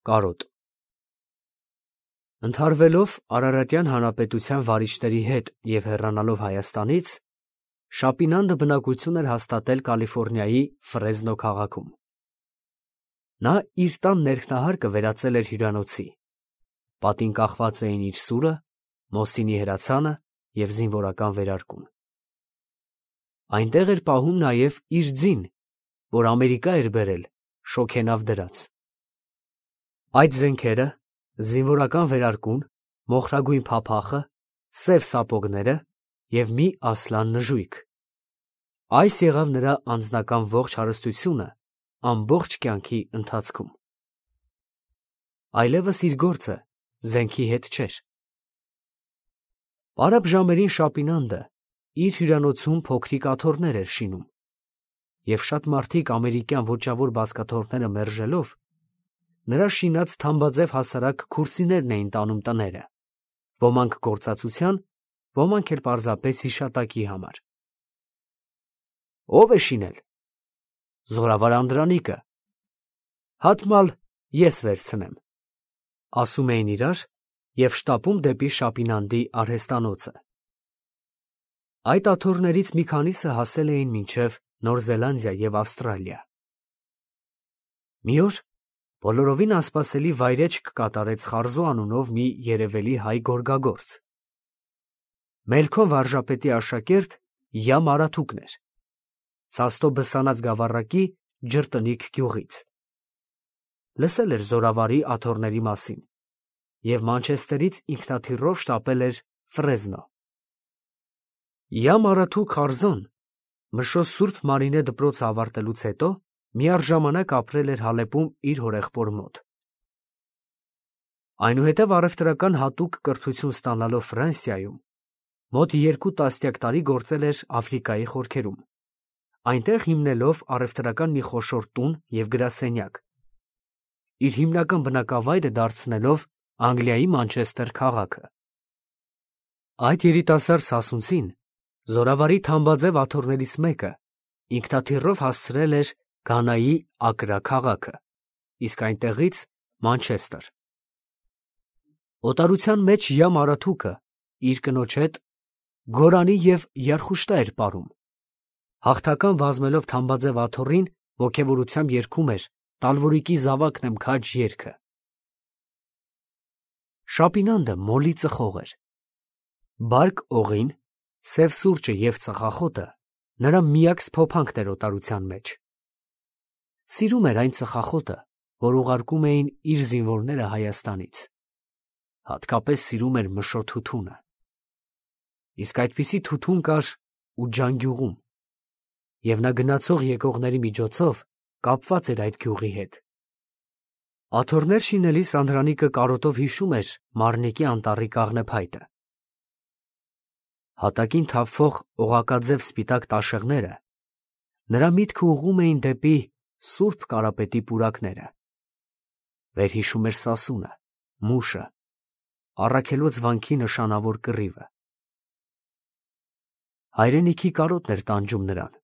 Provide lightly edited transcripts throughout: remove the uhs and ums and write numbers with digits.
Կարոտ Ընդհարվելով Արարատյան հանրապետության վարիչների հետ և հեռանալով Հայաստանից, Շապինանդը բնակություն էր հաստատել Կալիֆոռնիայի Ֆրեզնո քաղաքում։ Նա իր տան ներքնահարկը վերածել էր հյուրանոցի, պատին կախված էին իր սուրը, Մոսինի հրացանը և զինվորական վերարկուն։ Այնտեղ էր պահում նաև իր ձին, որ Ամերիկա էր բերել շոգենավ դրած։ Այդ զենքերը, զինվորական վերարկուն, մոխրագույն փափախը, սև սապոգները և մի ասլան նժույգ։ Այս եղավ նրա անձնական ողջ հարստությունը ամբողջ կյանքի ընթացքում։ Այլևս իր գործը զենքի հետ չէր։ Պարապ ժամերին Շապինանդը իր հյուրանոցում փոքրիկ աթոռներ էր շինում, և շատ մարդիկ ամերիկյան ոճավոր բազկաթոռները մերժելով, նրա շինած թամբաձև հասարակ քուրսիներն էին տանում տները, ոմանք գործածության, ոմանք էլ պարզապես հիշատակի համար։ Ո՞վ է շինել։ Զորավար Անդրանիկը։ Հատմալ ես վերցնեմ, ասում էին իրար և շտապում դեպի Շապինանդի արհեստանոցը։ Այդ աթոռներից մի քանիսը հասել էին մինչև Նոր Զելանդիա և Ավստրալիա։ Մի օր բոլորովին անսպասելի վայրէջք կատարեց Խարզո անունով մի երևելի հայ գորգագործ։ Մելքոն վարժապետի աշակերտ Յամ Արաթուկն էր, Սաստո Բսանած գավառակի Ջրտնիկ գյուղից։ Լսել էր զորավարի աթոռների մասին և Մանչեսթերից ինքնաթիռով շտապել էր Ֆրեզնո։ Յամ Արաթուկ Խարզոն Մշոս Սուրբ Մարինե դպրոցը ավարտելուց հետո միառժամանակ ապրել էր Հալեպում իր հորեղբոր մոտ։ Այնուհետև առևտրական հատուկ կրթություն ստանալով Ֆրանսիայում, մոտ 2 տասնյակ գործել էր Աֆրիկայի խորքերում, այնտեղ հիմնելով առևտրական մի խոշոր տուն և գրասենյակ, իր հիմնական բնակավայրը դարձնելով Անգլիայի Մանչեսթեր քաղաքը։ Այդ երիտասարդ սասունցին զորավարի թամբաձև աթոռներից մեկը ինքնաթիռով հասցրել էր Գանայի Ակրա քաղաքը, իսկ այնտեղից Մանչեսթեր։ Օտարության մեջ Յամ Արաթուկը իր կնոջ հետ գորանի և երխուշտա էր պարում, հաղթական վազմելով թամբաձև աթոռին ոգևորությամբ երգում էր Տալվորիկի զավակն եմ քաջ երգը։ Շապինանդը մոլի ծխող էր։ Բարկ օղին, սև սուրճը և ծխախոտը նրա միակ սփոփանքն էր օտարության մեջ։ Սիրում էր այն ծխախոտը, որ ուղարկում էին իր զինվորները Հայաստանից։ Հատկապես սիրում էր Մշո թութունը։ Իսկ այդպիսի թութուն կար ու Ջանգյուղում, և նա գնացող եկողների միջոցով կապված էր այդ գյուղի հետ։ Աթոռներ շինելիս Անդրանիկը կարոտով հիշում էր Մարնիկի անտառի կաղնեփայտը։ Հատակին թափվող օղակաձև սպիտակ տաշեղները նրա միտքը ուղղում էին դեպի Սուրբ Կարապետի պուրակները։ Վերհիշում էր Սասունը, Մուշը, Առաքելոց վանքի նշանավոր կռիվը։ Հայրենիքի կարոտն էր տանջում նրան,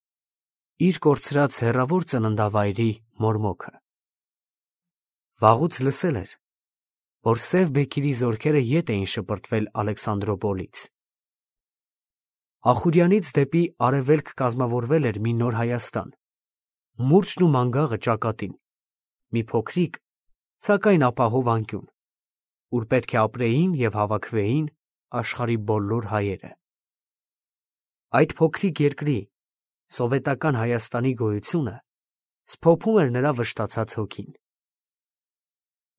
իր կորցրած հեռավոր ծննդավայրի մորմոքը։ Վաղուց լսել էր, որ Սև Բեկիրի զորքերը ետ էին շպրտվել Ալեքսանդրոպոլից։ Ախուրյանից դեպի արևելք կազմավորվել էր մի նոր Հայաստան, մուրճն ու մանգաղը ճակատին, մի փոքրիկ, սակայն ապահով անկյուն, ուր պետք է ապրեին և հավաքվեին աշխարհի բոլոր հայերը։ Այդ փոքրիկ երկրի՝ սովետական Հայաստանի գոյությունը սփոփում էր նրա վշտացած հոգին։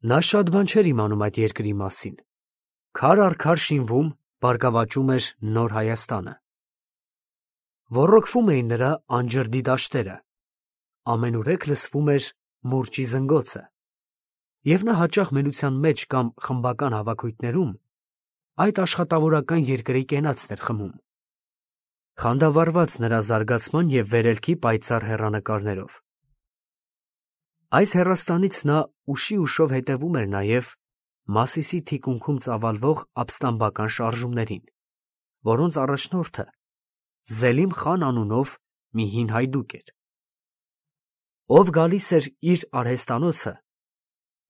Նա շատ բան չէր իմանում այդ երկրի մասին։ Քար առ քար շինվում, բարգավաճում էր նոր Հայաստանը։ Ոռոգվում էին նրա անջրդի դաշտերը, ամենուրեք լսվում էր մուրճի զնգոցը, և նա հաճախ մենության մեջ կամ խմբական հավաքույթներում այդ աշխատավորական երկրի կենացն էր խմում, խանդավառված նրա զարգացման և վերելքի պայծառ հեռանկարներով։ Այս հեռաստանից նա ուշի ուշով հետևում էր նաև Մասիսի թիկունքում ծավալվող ապստամբական շարժումներին, որոնց առաջնորդը Զելիմ խան անունով մի հին հայդուկ էր, ով գալիս էր իր արհեստանոցը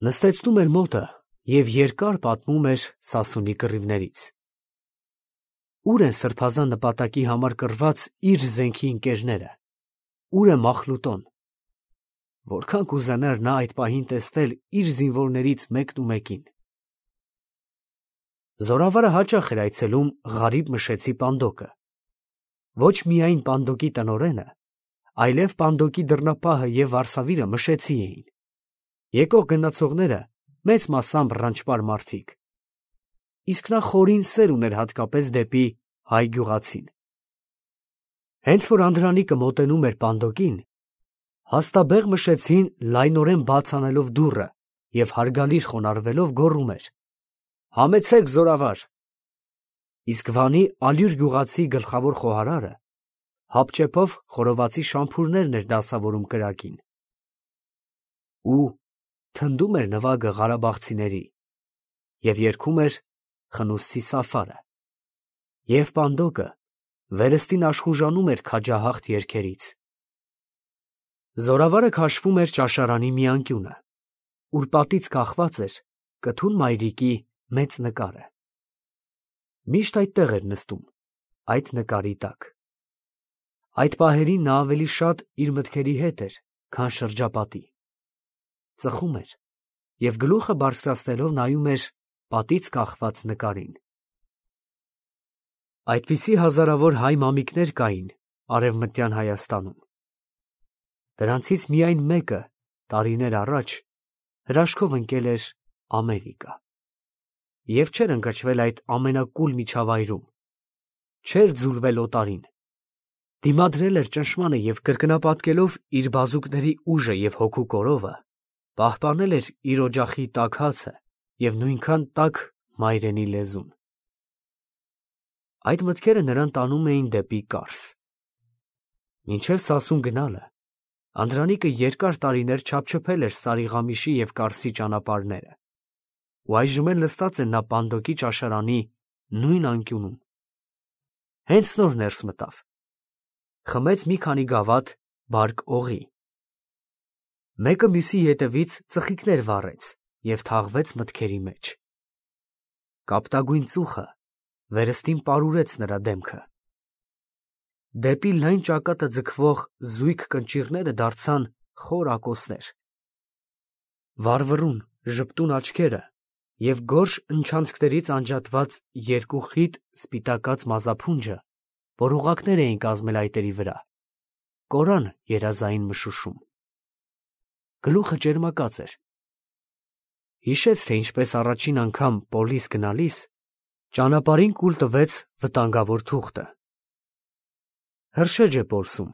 Նստեցնում էր մոտը և երկար պատմում էր Սասունի կռիվներից։ Ուր են սրբազան նպատակի համար կռված իր զենքի ընկերները, ուր է Մախլուտոն։ Որքան կուզենար նա այդ պահին տեսնել իր զինվորներից մեկին։ Զորավարը հաճախ էր այցելում Ղարիբ Մշեցի պանդոկը։ Ոչ միայն պանդոկի տնօրենը, այլև պանդոկի դռնապահը և վարսավիրը Մշեցի էին։ Եկող գնացողները մեծ մասամբ ռանչպար մարդիկ, իսկ նա խորին սեր ուներ հատկապես դեպի հայ գյուղացին։ Հենց որ Անդրանիկը մոտենում էր պանդոկին, հաստաբեղ Մշեցին լայնորեն բաց անելով դուռը և հարգալից խոնարհվելով գոռում էր. «Համեցեք, զորավար»։ Իսկ Վանի ալյուր գյուղացի գլխավոր խոհարարը հապճեպով խորովածի շամփուրներն էր դասավորում կրակին։ Ու թնդում էր նվագը ղարաբաղցիների և երգում էր Խնուսցի Սաֆարը, և պանդոկը վերստին աշխուժանում էր քաջահաղթ երգերից։ Զորավարը քաշվում էր ճաշարանի մի անկյունը, ուր պատից կախված էր կթուն մայրիկի մեծ նկարը։ Միշտ այդտեղ էր նստում, այդ նկարի տակ։ Այդ պահերին նա ավելի շատ իր մտքերի հետ էր, քան շրջապատի։ Ծխում էր և գլուխը բարձրացնելով նայում էր պատից կախված նկարին։ Այդպիսի հազարավոր հայ մամիկներ կային Արևմտյան Հայաստանում։ Դրանցից միայն մեկը տարիներ առաջ հրաշքով ընկել էր Ամերիկա և չէր ընկճվել այդ ամենակուլ միջավայրում, չէր ձուլվել օտարին, դիմադրել էր ճնշմանը և կրկնապատկելով իր բազուկների ուժը և հոգու կորովը, պահպանել էր իր օջախի տաք հացը և նույնքան տաք մայրենի լեզուն։ Այդ մտքերը նրան տանում էին դեպի Կարս։ Մինչև Սասուն գնալը Անդրանիկը երկար տարիներ չափչփել էր Սարիղամիշի և Կարսի ճանապարհները, ու այժմ էլ նստած է նա պանդոկի ճաշարանի նույն անկյունում։ Հենց նոր ներս մտավ, խմեց մի քանի գավաթ բարք օղի, մեկը մյուսի ետևից ծխիկներ վառեց և թաղվեց մտքերի մեջ։ Կապտագույն ծուխը վերստին պարուրեց նրա դեմքը։ Դեպի լայն ճակատը ձգվող զույգ կնճիռները դարձան խոր ակոսներ։ Վառվռուն, ժպտուն աչքերը և գորշ ընչանցքներից անջատված երկու խիտ սպիտակած մազափունջը, որ ուղղակներ էին կազմել այտերի վրա, կորան երազային մշուշում։ Գլուխը ճերմակած էր։ Հիշեց, թե ինչպես առաջին անգամ պոլիս գնալիս ճանապարհին կուլ տվեց վտանգավոր թուղթը։ Հրշեջ է Պոլսում,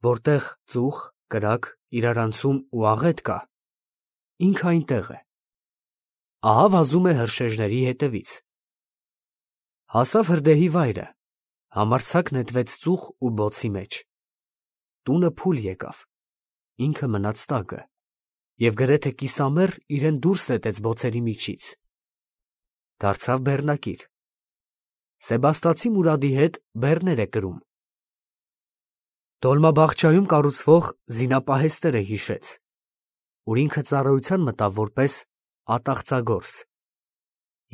որտեղ ծուխ, կրակ, իրարանցում ու աղետ կա, ինքը այնտեղ է։ Ահա վազում է հրշեջների հետևից։ Հասավ հրդեհի վայրը, համարձակ նետվեց ծուխ ու բոցի մեջ։ Տունը փուլ եկավ, ինքը մնաց տակը և գրեթե կիսամեռ իրեն դուրս նետեց բոցերի միջից։ Դարձավ բեռնակիր։ Սեբաստացի Մուրադի հետ բեռներ է կրում։ Դոլմաբախչայում կառուցվող զինապահեստերը հիշեց, ուր ինքը ծառայության մտավ որպես ատաղծագործ,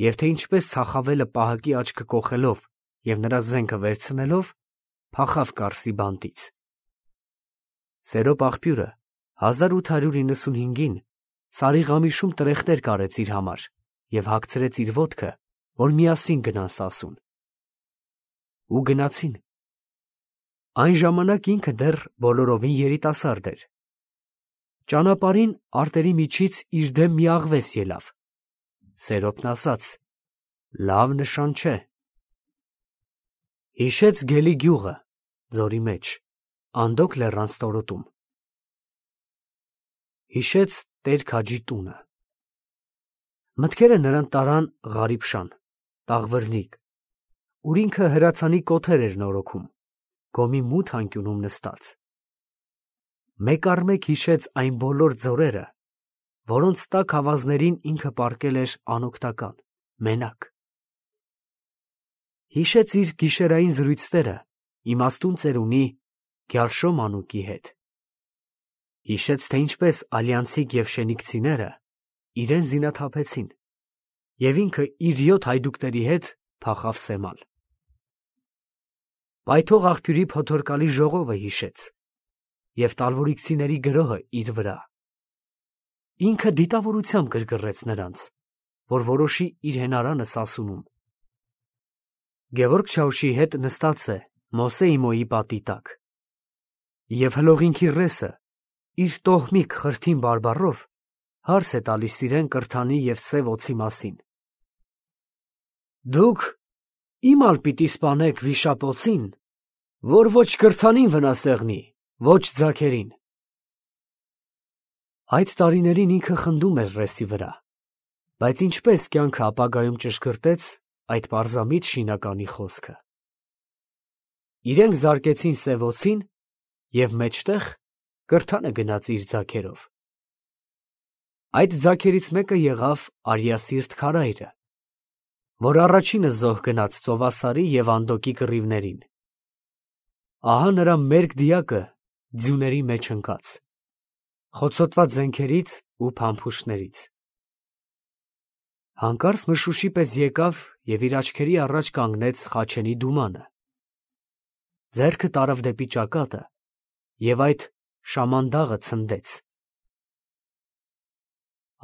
և թե ինչպես Ցախավելը պահակի աչքը կոխելով և նրա զենքը վերցնելով փախավ Կարսի բանտից։ Սերոպ աղբյուրը 1895-ին Սարիղամիշում տրեխտեր կարեց իր համար և հագցրեց իր ոտքը, որ միասին գնան Սասուն։ Ու գնացին։ Այն ժամանակ ինքը դեռ բոլորովին երիտասարդ էր։ Ճանապարհին արտերի միջից իր դեմ մի աղվես ելավ։ Սերոպն ասաց. «Լավ նշան չէ»։ Հիշեց Գելի գյուղը, ձորի մեջ, Անդոկ լեռան ստորոտում։ Հիշեց Տեր-Քաջի տունը։ Մտքերը նրան տարան Ղարիբշան, Տաղվրնիք, ուր ինքը հրացանի կոթեր էր նորոգում, գոմի մութ անկյունում նստած։ Մեկ առ մեկ հիշեց այն բոլոր ձորերը, որոնց տաք ավազներին ինքը պառկել էր անօգնական, մենակ։ Հիշեց իր գիշերային զրույցները իմաստուն ծերունի Գյալշո մանուկի հետ։ Հիշեց, թե ինչպես Ալյանցիկ և Շենիկցիները իրեն զինաթափեցին, և ինքը իր 7 հայդուկների հետ փախավ Սեմալ։ Պայթող աղբյուրի փոթորկալի ժողովը հիշեց և տալվորիքցիների գրոհը իր վրա։ Ինքը դիտավորությամբ գրգռեց նրանց, որ որոշի իր հենարանը Սասունում։ Գևորգ Չաուշի հետ նստած է Մոսե Իմոյի պատի տակ, և հլողինքի ռեսը իր տոհմիկ խրթին բարբառով հարց է տալիս իրեն կրթանի և սև օձի մասին։ Դուք իմալ պիտի սպանեք վիշապ օձին, որ ոչ կրթանին վնասեղնի, ոչ ձագերին։ Այդ տարիներին ինքը խնդում էր ռեսի վրա, բայց ինչպես կյանքը ապագայում ճշգրտեց այդ պարզամիտ շինականի խոսքը։ Իրենք զարկեցին սև օձին, և մեջտեղ կրթանը գնաց իր ձագերով։ Այդ ձագերից մեկը եղավ Արիասիրտ քարայրը, որ առաջինը զոհ գնաց Ծովասարի և Անդոկի կռիվներին։ Ահա նրա մերկ դիակը ձյուների մեջ ընկած, խոցոտված զենքերից ու փամփուշտներից։ Հանկարծ մշուշի պես եկավ և իր աչքերի առաջ կանգնեց Խաչենի դումանը։ Ձեռքը տարավ դեպի ճակատը և այդ շամանդաղը ցնդեց։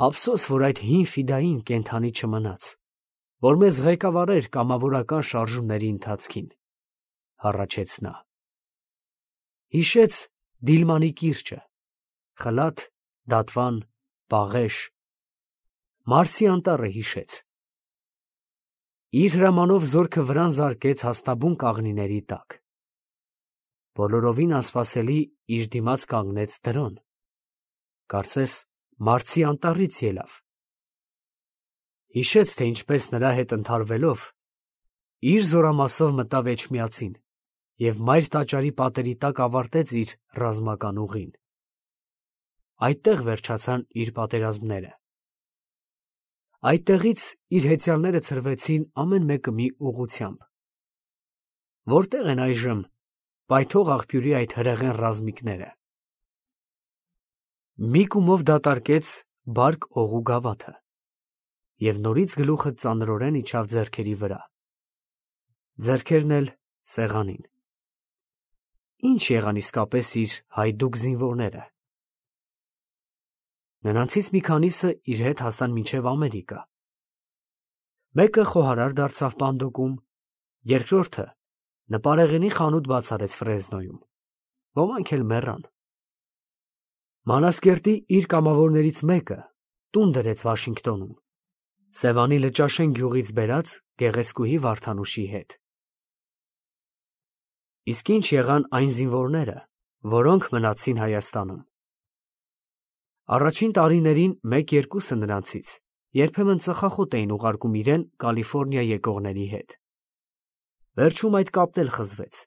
Ափսոս, որ այդ հին ֆիդային կենդանի չմնաց, որ մեզ ղեկավարեր կամավորական շարժումների ընթացքին, հառաչեց նա։ Հիշեց Դիլմանի կիրճը, Խլաթ, Դատվան, Պաղեշ, Մարսի անտառը հիշեց։ Իր հրամանով զորքը վրան զարկեց հաստաբուն կաղնիների տակ։ Բոլորովին անսպասելի իր դիմաց կանգնեց դրոն, կարծես Մարսի անտառից ելավ։ Հիշեց, թե ինչպես նրա հետ ընդհարվելով իր զորամասով մտավ Էջմիածին և մայր տաճարի պատերի տակ ավարտեց իր ռազմական ուղին։ Այդտեղ վերջացան իր պատերազմները։ Այդտեղից իր հեծյալները ցրվեցին ամեն մեկը մի ուղղությամբ։ Որտեղ են այժմ պայթող աղբյուրի այդ հրեղեն ռազմիկները։ Մի կումով դատարկեց բարկ օղու գավաթը և նորից գլուխը ծանրորեն իջավ ձեռքերի վրա, ձեռքերն էլ սեղանին։ Ինչ եղան իսկապես իր հայդուկ զինվորները։ Նրանցից մի քանիսը իր հետ հասան մինչև Ամերիկա։ Մեկը խոհարար դարձավ Պանդոկում, երկրորդը նպարեղենի խանութ բաց արեց Ֆրեզնոյում, ոմանք էլ մեռան։ Մանասկերտի իր կամավորներից մեկը տուն դրեց Վաշինգտոնում, Սևանի Լճաշեն գյուղից բերած գեղեցկուհի Վարդանուշի հետ։ Իսկ ինչ եղան այն զինվորները, որոնք մնացին Հայաստանում։ Առաջին տարիներին մեկ-երկուսը նրանցից երբեմն ծխախոտ էին ուղարկում իրեն Կալիֆոռնիա եկողների հետ։ Վերջում այդ կապն էլ խզվեց։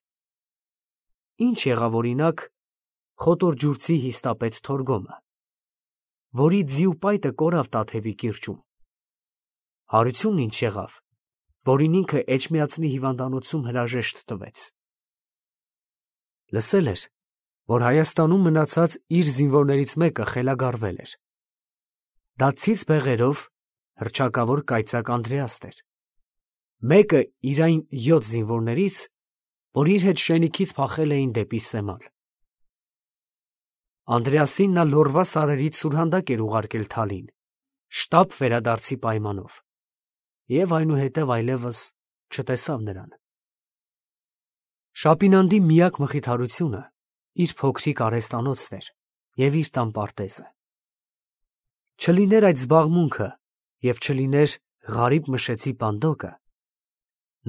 Ինչ եղավ օրինակ Խոտորջուրցի հիստապետ Թորգոմը, որի ձիու պայտը կորավ Տաթևի կիրճում։ Հարությունն ինչ եղավ, որին ինքը Էջմիածնի հիվանդանոցում հրաժեշտ տվեց։ Լսել էր, որ Հայաստանում մնացած իր զինվորներից մեկը խելագարվել էր։ Դա ցից բեղերով հռչակավոր կայծակ Անդրեաստ էր։ Մեկը իր այն 7 զինվորներից, որ իր հետ շենիքից փախել էին դեպի Սեմալ։ Անդրեասին նա լորվա սարերից սուրհանդակ էր ուղարկել Թալին, շտապ վերադարձի պայմանով, և այնուհետև այլևս չտեսավ նրան։ Շապինանդի միակ մխիթարությունը իր փոքրիկ արհեստանոցն էր և իր տան պարտեզը։ Չլիներ այդ զբաղմունքը և չլիներ Ղարիբ Մշեցի Պանդոկը,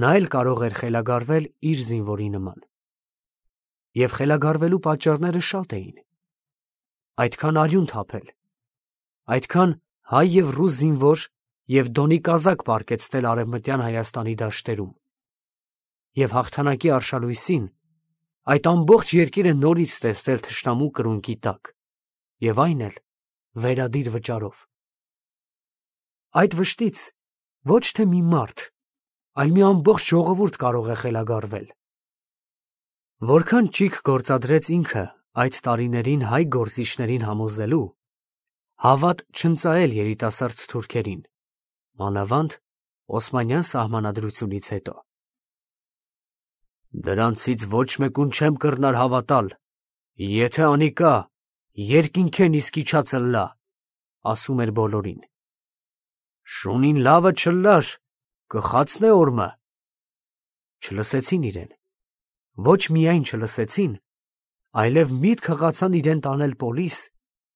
նա էլ կարող էր խելագարվել իր զինվորի նման։ Եվ խելագարվելու պատճառները շատ էին։ Այդքան արյուն թափել, այդքան հայ և ռուս զինվոր և դոնի կազակ պառկեցնել Արևմտյան Հայաստանի դաշտերում, և հաղթանակի արշալույսին այդ ամբողջ երկիրը նորից տեսնել թշնամու կրունկի տակ, և այն էլ վերադիր վճարով։ Այդ վշտից ոչ թե մի մարդ, այլ մի ամբողջ ժողովուրդ կարող է խելագարվել։ Որքան ճիգ գործադրեց ինքը այդ տարիներին հայ գործիչներին համոզելու, Հավատ չընծայել երիտասարդ թուրքերին, մանավանդ Օսմանյան սահմանադրությունից հետո։ Դրանցից ոչ մեկուն չեմ կռնար հավատալ, եթե անիկա, երկինքեն իսկ իջած ըլլա, ասում էր բոլորին։ Շունին լավը չլար, կխացնե օրմը։ Չլսեցին իրեն, ոչ միայն չլսեցին, այլև միտք հղացան իրեն տանել պոլիս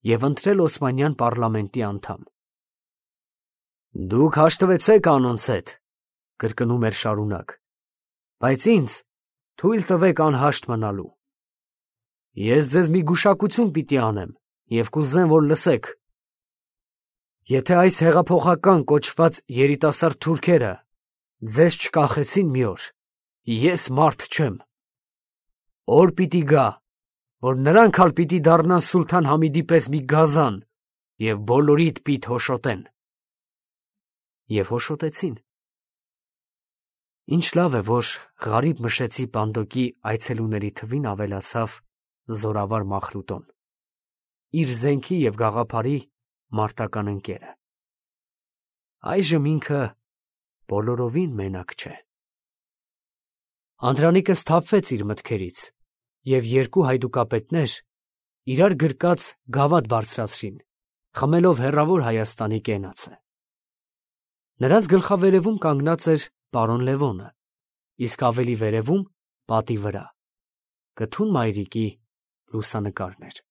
և ընտրել Օսմանյան պառլամենտի անդամ։ Դուք հաշտվեցեք անոնց հետ, կրկնում էր շարունակ, բայց ինձ թույլ տվեք անհաշտ մնալու։ Ես ձեզ մի գուշակություն պիտի անեմ և կուզեմ, որ լսեք։ Եթե այս հեղափոխական կոչված երիտասարդ թուրքերը ձեզ չկախեցին մի օր, ես մարդ չեմ։ Օր պիտի գա, որ նրանք ալ պիտի դառնան Սուլթան Համիդի պես մի գազան և բոլորիդ պիտ հոշոտեն։ Եվ հոշոտեցին։ Ինչ լավ է, որ Ղարիբ Մշեցի Պանդոկի այցելուների թվին ավելացավ զորավար Մախրուտոն, իր զենքի և գաղափարի մարտական ընկերը։ Այժմ ինքը բոլորովին մենակ չէ։ Անդրանիկը սթափվեց իր մտքերից, և երկու հայդուկապետներ իրար գրկած գավաթ բարձրացրին, խմելով հեռավոր Հայաստանի կենացը։ Նրանց գլխավերևում կանգնած էր պարոն Լևոնը, իսկ ավելի վերևում, պատի վրա, կթուն մայրիկի լուսանկարն էր։